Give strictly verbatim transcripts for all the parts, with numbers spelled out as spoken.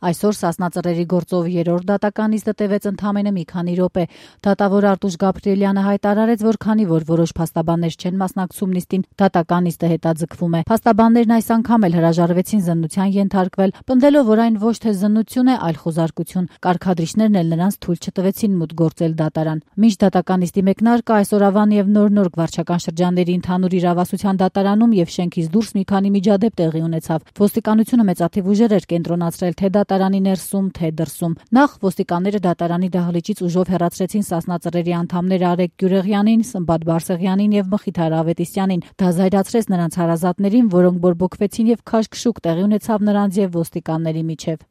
Այսօր Սասնա ծռերի գործով երրորդ դատականիստը տևեց ընդամենը մի քանի րոպե։ Դատավոր Արտուշ Գաբրիելյանը հայտարարեց, որ քանի որ որոշ փաստաբաններ չեն մասնակցում նիստին, դատականիստը հետաձգվում է։ Փաստաբաններն այս անգամ էլ հրաժարվեցին զննության ենթարկվել, պնդելով, որ այն ոչ թե զննություն է, այլ խոզարկություն։ Կարգադրիչներն էլ նրանց թույլ չտվեցին մուտք գործել դատարան։ Մինչ դատականիստի մեկնարկը այսօր Ավան եւ Նոր-Նորք վարչական շրջանների ընդհանուր իրավասության դատարանում եւ շենքից դուրս մի քանի միջադեպ տեղի ունեցավ։ Ոստիկանությունը մեծաթիվ ուժեր էր կենտրոնացրել թե դատարանի ներսում, թե դրսում։ Նախ ոստիկանները դատարանի դահլիճից ուժով հեռացրեցին Սասնա ծռերի անդամներ Արեգ Գյուրեղյանին, Սմբատ Բարսեղյանին եւ Մխիթար Ավետիսյանին։ Դա զայրացրեց նրանց հարազատներին, որոնք բորբոքվեցին եւ քաշքշուկ տեղի ունեցավ նրանց եւ ոստիկանների միջեւ։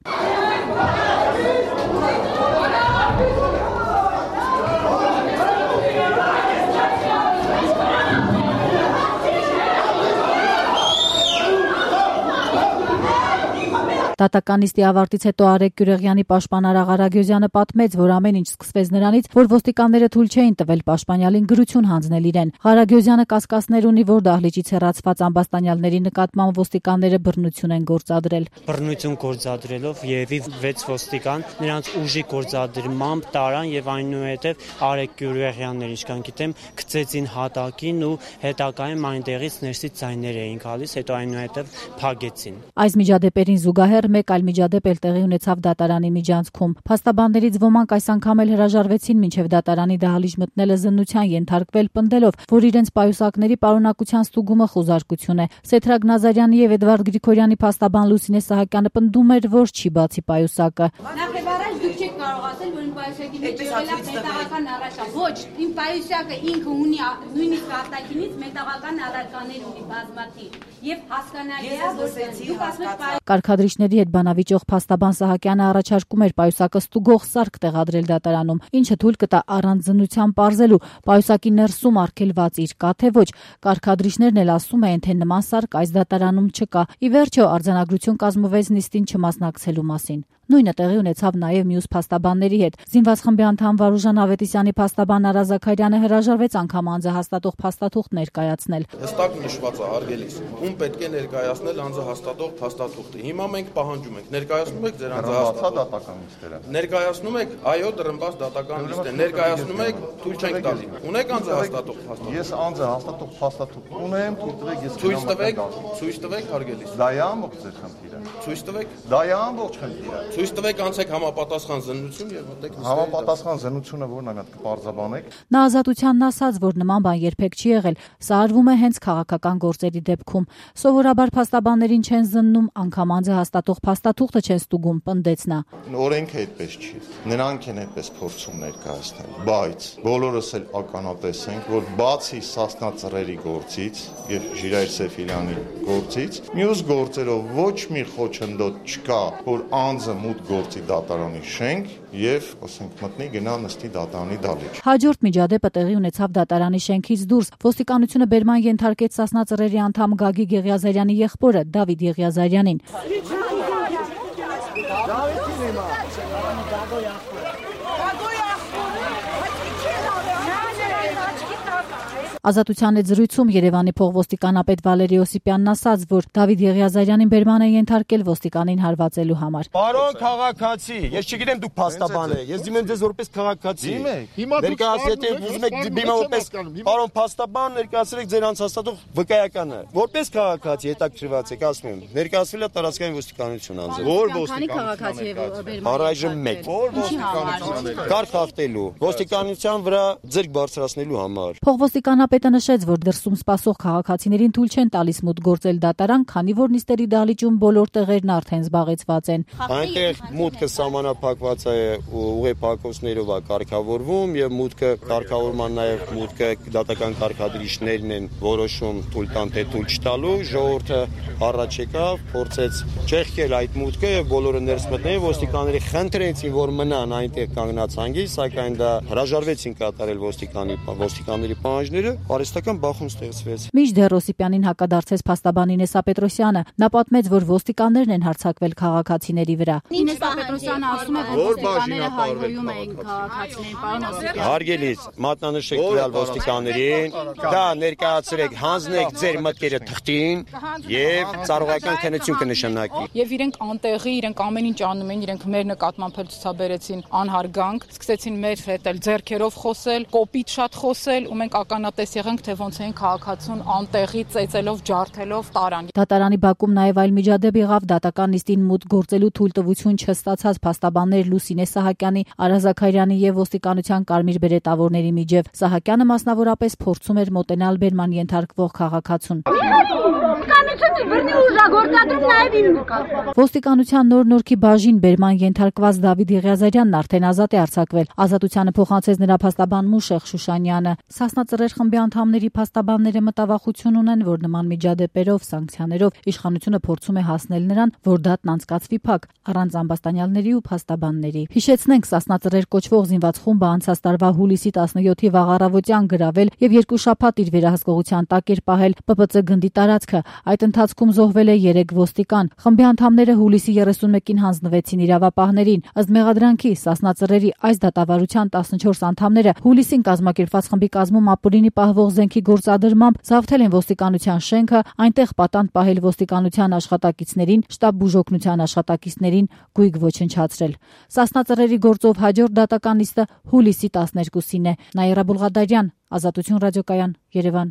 Դատականիստի ավարտից հետո Արեգ Գյուրեղյանի պաշտպան Արաղ Արագյոզյանը պատմեց, որ ամեն ինչ սկսվեց նրանից, որ ոստիկանները թույլ չէին տվել պաշտպանյալին գրություն հանձնել իրեն։ Արագյոզյանը կասկածներ ունի, որ դահլիճից հեռացված ամբաստանյալների նկատմամբ ոստիկանները բռնություն են գործադրել։ Բռնություն գործադրելով երևի վեց ոստիկան նրանց ուժի գործադրմամբ տարան եւ այնուհետեւ Արեգ Գյուրեղյանն, ինչքան գիտեմ, գծեցին հատակին ու հետագայում այնտեղից ներսից ձայներ էին գալիս, հետո այնուհետեւ փագեցին։ Այս միջադեպերին զուգահեռ մեկ այլ միջադեպ էլ տեղի ունեցավ դատարանի միջանցքում։ Փաստաբաններից ոմանք այս անգամ էլ հրաժարվեցին մինչև դատարանի դահլիճ մտնելը զննության ենթարկվել, պնդելով, որ իրենց պայուսակների պարունակության ստուգումը խոզարկություն է։ Սեթրագ Նազարյանի եւ Էդվարդ Գրիգորյանի փաստաբան Լուսինե Սահակյանը պնդում էր, որ չի բացի պայուսակը։ Նախևառաջ դուք չեք կարող ասել, որ իմ պայուսակի մեջ եղել է մետաղական առարկա։ Ոչ, իմ պայուսակը ինքը ունի նույնիսկ արտաքինից մետաղական առարկաներ ունի բազմաթիվ եւ հասկանալի է, որ դուք ասում եք Կարգադրիչների հետ բանավիճող փաստաբան Սահակյանը առաջարկում էր պայուսակը ստուգող սարք տեղադրել դատարանում, ինչը թույլ կտա առանց զննության պարզելու պայուսակի ներսում արգելված իր կա թե ոչ։ Կարգադրիչներն էլ ասում են, թե նման սարք այս դատարանում չկա։ Ի վերջո արձանագրություն կազմվեց նիստին չմասնակցելու մասին։ Նույնը տեղի ունեցավ նաև մյուս փաստաբանների հետ։ Զինված խմբի անդամ Վարուժան Ավետիսյանի փաստաբան Արա Զաքարյանը հրաժարվեց անգամ անձը հաստատող փաստաթուղթ ներկայացնել։ Հստակ նշված է արգելիս, ում պետք է ներկայացնել անձը հաստատող փաստաթուղթը։ Հիմա մենք պահանջում ենք, ներկայացնում եք ձեր անձը հաստատող դատականիստերը։ Ներկայացնում եք, այո, դրմբաց դատականիստ է։ Ներկայացնում եք, թույլ չենք տալի։ Ունեք անձը հաստատող փաստաթուղթ։ Ես անձը հաստատող փաստաթուղթ ունեմ, թույլ տվեք ես։ Ցույց տվեք, ցույց տվեք արգելիս։ Դա է ամբողջ ձեր խնդիրը։ Ցույց տվեք։ Դա է ամբողջ խնդիրը։ Ցույց տվեք անցեք համապատասխան զննություն եւ մտեք նստեք։ Համապատասխան զննությունը որն է, մենք կպարզաբանենք։ Նա ազատությանն ասաց, որ նման բան երբեք չի եղել։ Սա արվում է հենց քաղաքական գործերի դեպքում։ Սովորաբար փաստաբաններին չեն զննում, անգամ անձը հաստատող փաստաթուղթը չեն ստուգում, պնդեց նա։ Օրենքը այդպես չի։ Նրանք են այդպես փորձում ներկայացնել, բայց բոլորս էլ ականատես ենք, որ բացի Սասնա ծռերի գործից եւ Ժիրայր Սեֆիլյանի գործից, մյուս գործերով ոչ մի խոչընդոտ չկա, որ անձը մուտք գործի դատարանի շենք եւ, ասենք, մտնի գնա նստի դատարանի դահլիճ։ Հաջորդ միջադեպը տեղի ունեցավ դատարանի շենքից դուրս։ Ոստիկանությունը բերման ենթարկեց Սասնա ծռերի անդամ Գագիկ Եղիազարյանի եղբորը Դավիթ Եղիազարյանին։ Ազատության հետ զրույցում Երևանի փողոստիկանապետ Վալերի Օսիպյանն ասաց, որ Դավիթ Եղիազարյանին բերման է ենթարկել ոստիկանին հարվածելու համար։ Պարոն քաղաքացի, ես չգիտեմ դուք փաստաբան եք, ես դիմեմ ձեզ որպես քաղաքացի։ Ներկայացրեք ուզում եք դիմեմ որպես պարոն փաստաբան, ներկայացրեք ձեր անցաստատող վկայականը։ Որպես քաղաքացի հետաքրքրված եք, ասում եմ, ներկայացվել է տարածքային ոստիկանություն անձը։ Որ ոստիկանություն։ Առայժմ մեկ։ Որ ոստիկանություն։ Կարգ հաղթելու, ոստիկանության վրա ձեռք բարձրացնելու համար։ Փողոստիկանապետը նշեց, որ դրսում սպասող քաղաքացիներին թույլ չեն տալիս մուտք գործել դատարան, քանի որ նիստերի դահլիճում բոլոր տեղերն արդեն զբաղեցված են։ Այնտեղ մուտքը սահմանափակված է ուղեփակոցներով է կարգավորվում եւ մուտքը կարգավորման նաեւ մուտքը դատական կարգադրիչներն են որոշում թույլ տան թե թույլ չտալու։ Ժողովուրդը առաջ եկավ, փորձեց չեղքել այդ մուտքը եւ բոլորը ներս մտնել, ոստիկանները խնդրեցին, որ մնան այնտեղ կանգնած հանգիստ, սակայն դա հրաժարվեցին կատարել ոստիկանի ոստիկանների պահանջները արհեստական բախում ստեղծվեց։ Մինչդեռ Օսիպյանին հակադարձեց փաստաբան Ինեսա Պետրոսյանը, նա պատմեց, որ ոստիկաններն են հարձակվել քաղաքացիների վրա։ Ինեսա Պետրոսյանը ասում է, որ ոստիկանները հայհոյում էին քաղաքացիներին, պարոն Օսիպյան։ Հարգելից, մատնանշեք տվյալ ոստիկաններին, դա ներկայացրեք, հանձնեք ձեր մտքերը թղթին եւ ծառայական քննություն կնշանակի։ Եվ իրենք անտեղի, իրենք ամեն ինչ անում են, իրենք մեր նկատմամբ էլ ցուցաբերեցին անհարգանք, սկսեցին մեր հետ էլ ձեռքերով խոսել, կոպիտ շատ խոսել, ու մենք ականատես եղանք, թե ոնց էին քաղաքացուն անտեղի ծեծելով, ջարդելով տարան։ Դատարանի բակում նաև այլ միջադեպ եղավ դատական նիստին մուտք գործելու թույլտվություն չստացած փաստաբաններ Լուսինե Սահակյանի, Արա Զաքարյանի եւ ոստիկանության կարմիր բերետավորների միջև։ Սահակյանը մասնավորապես փորձում էր մոտենալ բերման ենթարկվող քաղաքացուն։ Ոստիկանության նոր նորքի բաժին բերման ենթարկված Դավիթ Եղիազարյանն արդեն ազատ է արձակվել։ Ազատությանը փոխանցեց նրա փաստաբան Մուշեղ Շուշանյանը։ Սասնա Ծռեր խմբի անդամների փաստաբանները մտավախություն ունեն, որ նման միջադեպերով, սանկցիաներով իշխանությունը փորձում է հասնել նրան, որ դատն անցկացվի փակ, առանց ամբաստանյալների ու փաստաբանների։ Հիշեցնենք, Սասնա Ծռեր կոչվող զինված խումբը անցած տարվա հուլիսի տասնյոթի վաղ առավոտյան գրավել եւ երկու շաբաթ իր վերահսկողության տակ էր պահել Պ Պ Ց գնդի տարածքը։ Այդ ընթացքում զոհվել է երեք ոստիկան։ Խմբի անդամները հուլիսի երեսունմեկին հանձնվեցին իրավապահներին։ Ըստ մեղադրանքի Սասնա Ծռերի այս դատավարության տասնչորս անդամները հուլիսին կազմակերպված խմբի կազմում ապօրինի պահվող զենքի գործադրմամբ զավթել են ոստիկանության շենքը, այնտեղ պատանդ պահել ոստիկանության աշխատակիցներին, շտաբ բուժօգնության աշխատակիցներին գույք ոչնչացրել։ Սասնա Ծռերի գործով հաջորդ դատական նիստը հուլիսի տասներկուսին է։ Նաիրա Բուլղադարյան, Ազատություն ռադիոկայան, Երևան։